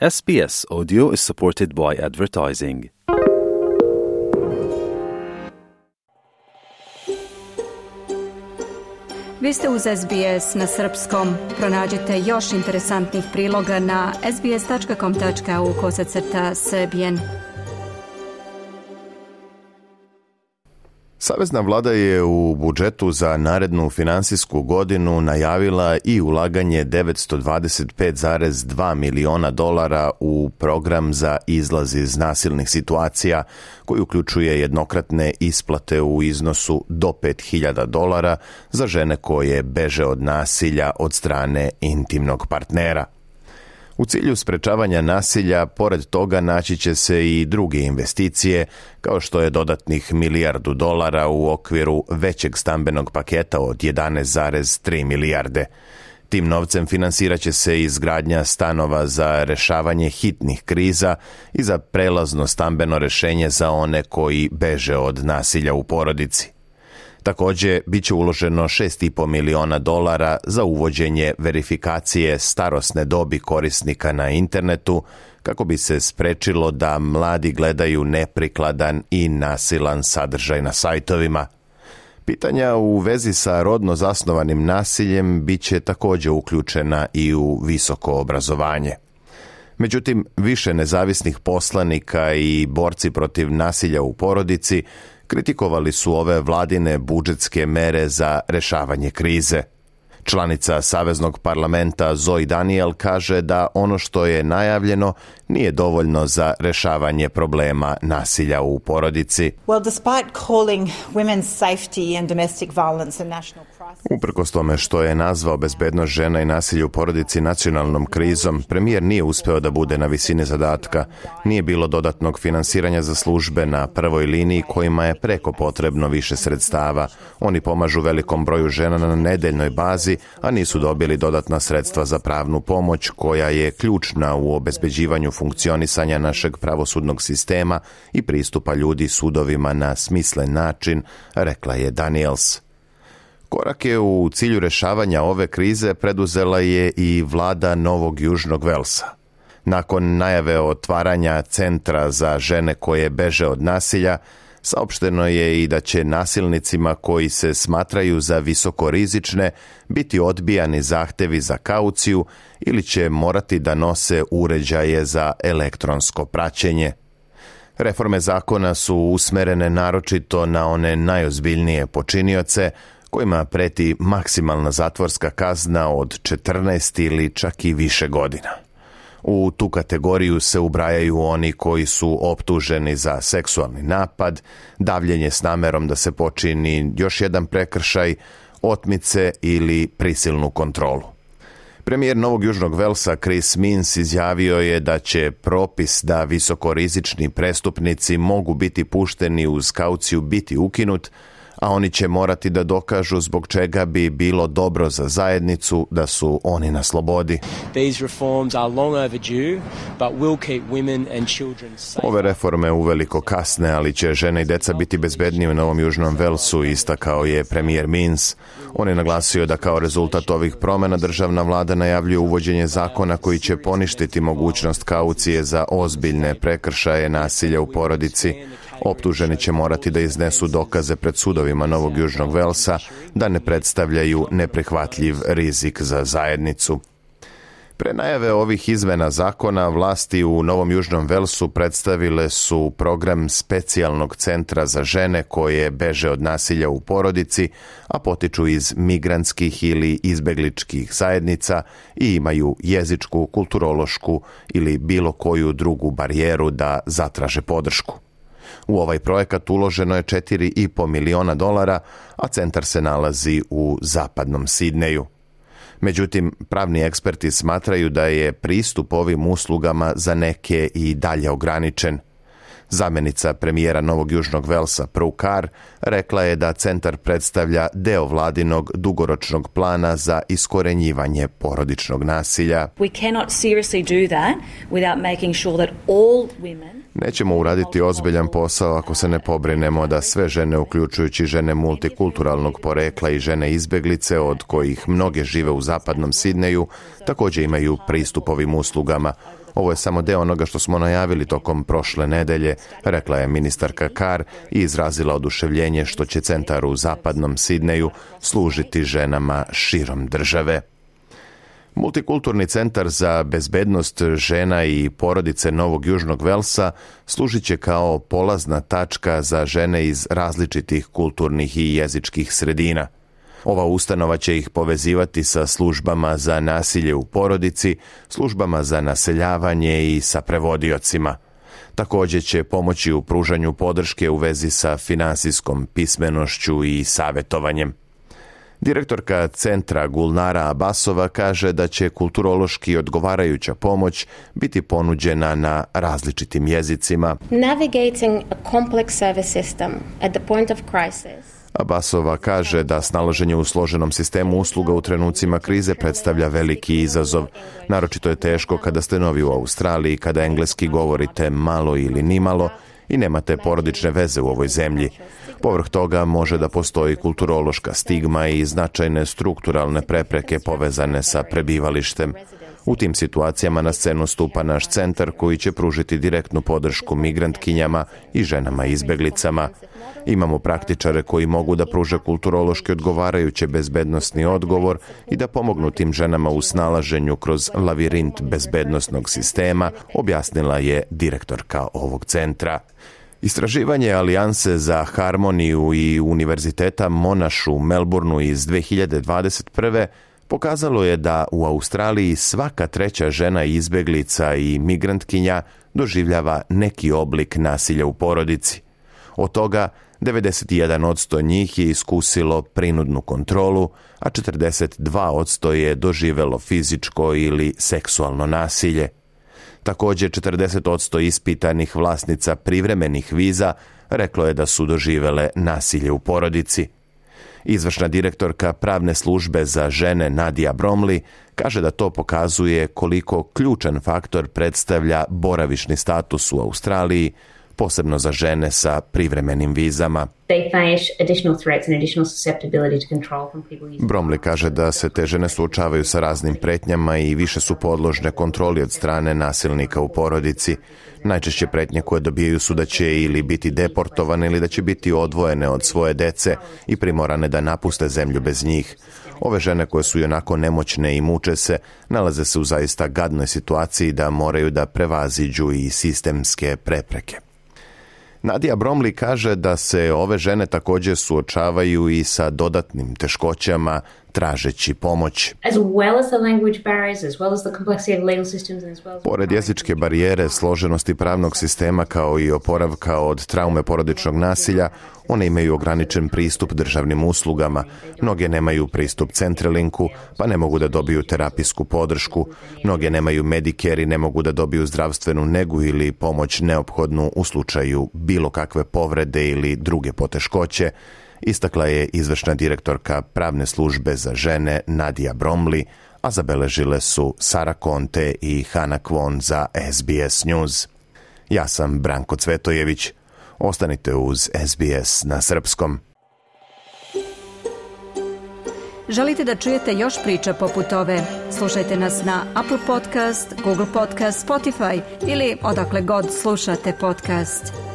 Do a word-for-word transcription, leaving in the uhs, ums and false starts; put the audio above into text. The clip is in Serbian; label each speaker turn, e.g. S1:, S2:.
S1: S B S Audio is supported by advertising.
S2: Vi ste uz S B S na srpskom. Pronađite još interesantnih priloga na sbs.com tačka au kosacrta srbijen.
S3: Savezna vlada je u budžetu za narednu finansijsku godinu najavila i ulaganje devetsto dvadeset pet zarez dva miliona dolara u program za izlaz iz nasilnih situacija, koji uključuje jednokratne isplate u iznosu do pet hiljada dolara za žene koje beže od nasilja od strane intimnog partnera. U cilju sprečavanja nasilja, pored toga naći će se i druge investicije, kao što je dodatnih milijardu dolara u okviru većeg stambenog paketa od jedanaest zarez tri milijarde. Tim novcem finansirat će se izgradnja stanova za rešavanje hitnih kriza i za prelazno stambeno rešenje za one koji beže od nasilja u porodici. Također, bit će uloženo šest i po miliona dolara za uvođenje verifikacije starosne dobi korisnika na internetu, kako bi se sprečilo da mladi gledaju neprikladan i nasilan sadržaj na sajtovima. Pitanja u vezi sa rodno zasnovanim nasiljem bit će također uključena i u visoko obrazovanje. Međutim, više nezavisnih poslanika i borci protiv nasilja u porodici kritikovali su ove vladine budžetske mere za rešavanje krize. Članica Saveznog parlamenta Zoe Daniel kaže da ono što je najavljeno nije dovoljno za rešavanje problema nasilja u porodici.
S4: Well, despite calling women's safety and domestic violence a national crisis.
S3: Uprkos tome što je nazvao bezbednost žena i nasilje u porodici nacionalnom krizom, premijer nije uspeo da bude na visini zadatka. Nije bilo dodatnog finansiranja za službe na prvoj liniji kojima je preko potrebno više sredstava. Oni pomažu velikom broju žena na nedeljnoj bazi, a nisu dobili dodatna sredstva za pravnu pomoć koja je ključna u obezbeđivanju funkcionisanja našeg pravosudnog sistema i pristupa ljudi sudovima na smislen način, rekla je Daniels. Korake u cilju rešavanja ove krize preduzela je i vlada Novog Južnog Velsa. Nakon najave otvaranja centra za žene koje beže od nasilja, saopšteno je i da će nasilnicima koji se smatraju za visokorizične biti odbijani zahtevi za kauciju ili će morati da nose uređaje za elektronsko praćenje. Reforme zakona su usmerene naročito na one najozbiljnije počinioce, kojima preti maksimalna zatvorska kazna od četrnaest ili čak i više godina. U tu kategoriju se ubrajaju oni koji su optuženi za seksualni napad, davljenje s namerom da se počini još jedan prekršaj, otmice ili prisilnu kontrolu. Premijer Novog Južnog Velsa Chris Minns izjavio je da će propis da visokorizični prestupnici mogu biti pušteni uz kauciju biti ukinut, a oni će morati da dokažu zbog čega bi bilo dobro za zajednicu da su oni na slobodi. Ove reforme uveliko kasne, ali će žene i deca biti bezbednije u Novom Južnom Velsu, istakao je premijer Minns. On je naglasio da kao rezultat ovih promjena državna vlada najavljuje uvođenje zakona koji će poništiti mogućnost kaucije za ozbiljne prekršaje nasilja u porodici. Optuženi će morati da iznesu dokaze pred sudovima Novog Južnog Velsa da ne predstavljaju neprihvatljiv rizik za zajednicu. Pre najave ovih izmena zakona, vlasti u Novom Južnom Velsu predstavile su program specijalnog centra za žene koje beže od nasilja u porodici, a potiču iz migrantskih ili izbegličkih zajednica i imaju jezičku, kulturološku ili bilo koju drugu barijeru da zatraže podršku. U ovaj projekat uloženo je četiri i po miliona dolara, a centar se nalazi u zapadnom Sidneju. Međutim, pravni eksperti smatraju da je pristup ovim uslugama za neke i dalje ograničen. Zamjenica premijera Novog Južnog Velsa Prue Carr rekla je da centar predstavlja deo vladinog dugoročnog plana za iskorenjivanje porodičnog nasilja.
S5: We cannot seriously do that without making sure that all women
S3: Nećemo uraditi ozbiljan posao ako se ne pobrinemo da sve žene, uključujući žene multikulturalnog porekla i žene izbeglice, od kojih mnoge žive u zapadnom Sidneju, također imaju pristup ovim uslugama. Ovo je samo deo onoga što smo najavili tokom prošle nedelje, rekla je ministarka Carr i izrazila oduševljenje što će centar u zapadnom Sidneju služiti ženama širom države. Multikulturni centar za bezbednost žena i porodice Novog Južnog Velsa služit će kao polazna tačka za žene iz različitih kulturnih i jezičkih sredina. Ova ustanova će ih povezivati sa službama za nasilje u porodici, službama za naseljavanje i sa prevodiocima. Također će pomoći u pružanju podrške u vezi sa finansijskom pismenošću i savjetovanjem. Direktorka centra Gulnara Abbasova kaže da će kulturološki odgovarajuća pomoć biti ponuđena na različitim jezicima.
S6: Navigating a complex service system at the point of crisis.
S3: Abbasova kaže da snalaženje u složenom sistemu usluga u trenucima krize predstavlja veliki izazov. Naročito je teško kada ste novi u Australiji, kada engleski govorite malo ili nimalo i nemate porodične veze u ovoj zemlji. Povrh toga može da postoji kulturološka stigma i značajne strukturalne prepreke povezane sa prebivalištem. U tim situacijama na scenu stupa naš centar koji će pružiti direktnu podršku migrantkinjama i ženama izbeglicama. Imamo praktičare koji mogu da pruže kulturološki odgovarajuće bezbednosni odgovor i da pomognu tim ženama u snalaženju kroz lavirint bezbednosnog sistema, objasnila je direktorka ovog centra. Istraživanje Alijanse za harmoniju i Univerziteta Monash u Melbourneu iz dve hiljade dvadeset prve pokazalo je da u Australiji svaka treća žena izbeglica i migrantkinja doživljava neki oblik nasilja u porodici. Od toga devedeset jedan posto njih je iskusilo prinudnu kontrolu, a četrdeset dva posto je doživelo fizičko ili seksualno nasilje. Također četrdeset posto ispitanih vlasnica privremenih viza reklo je da su doživele nasilje u porodici. Izvršna direktorka pravne službe za žene Nadia Bromley kaže da to pokazuje koliko ključan faktor predstavlja boravišni status u Australiji, posebno za žene sa privremenim vizama. Bromley kaže da se te žene suočavaju sa raznim pretnjama i više su podložne kontroli od strane nasilnika u porodici. Najčešće pretnje koje dobijaju su da će ili biti deportovane ili da će biti odvojene od svoje dece i primorane da napuste zemlju bez njih. Ove žene koje su onako nemoćne i muče se, nalaze se u zaista gadnoj situaciji da moraju da prevaziđu i sistemske prepreke. Nadia Bromley kaže da se ove žene također suočavaju i sa dodatnim teškoćama tražeći pomoć. Pored jezičke barijere, složenosti pravnog sistema kao i oporavka od traume porodičnog nasilja, one imaju ograničen pristup državnim uslugama. Mnoge nemaju pristup Centrelinku, pa ne mogu da dobiju terapijsku podršku. Mnoge nemaju Medicare i ne mogu da dobiju zdravstvenu negu ili pomoć neophodnu u slučaju bilo kakve povrede ili druge poteškoće, istakla je izvršna direktorka pravne službe za žene Nadia Bromley, a zabeležile su Sara Conte i Hana Kwon za S B S News. Ja sam Branko Cvetojević. Ostanite uz S B S na srpskom.
S2: Želite da čujete još priča poput ove? Slušajte nas na Apple Podcast, Google Podcast, Spotify ili odakle god slušate podcast.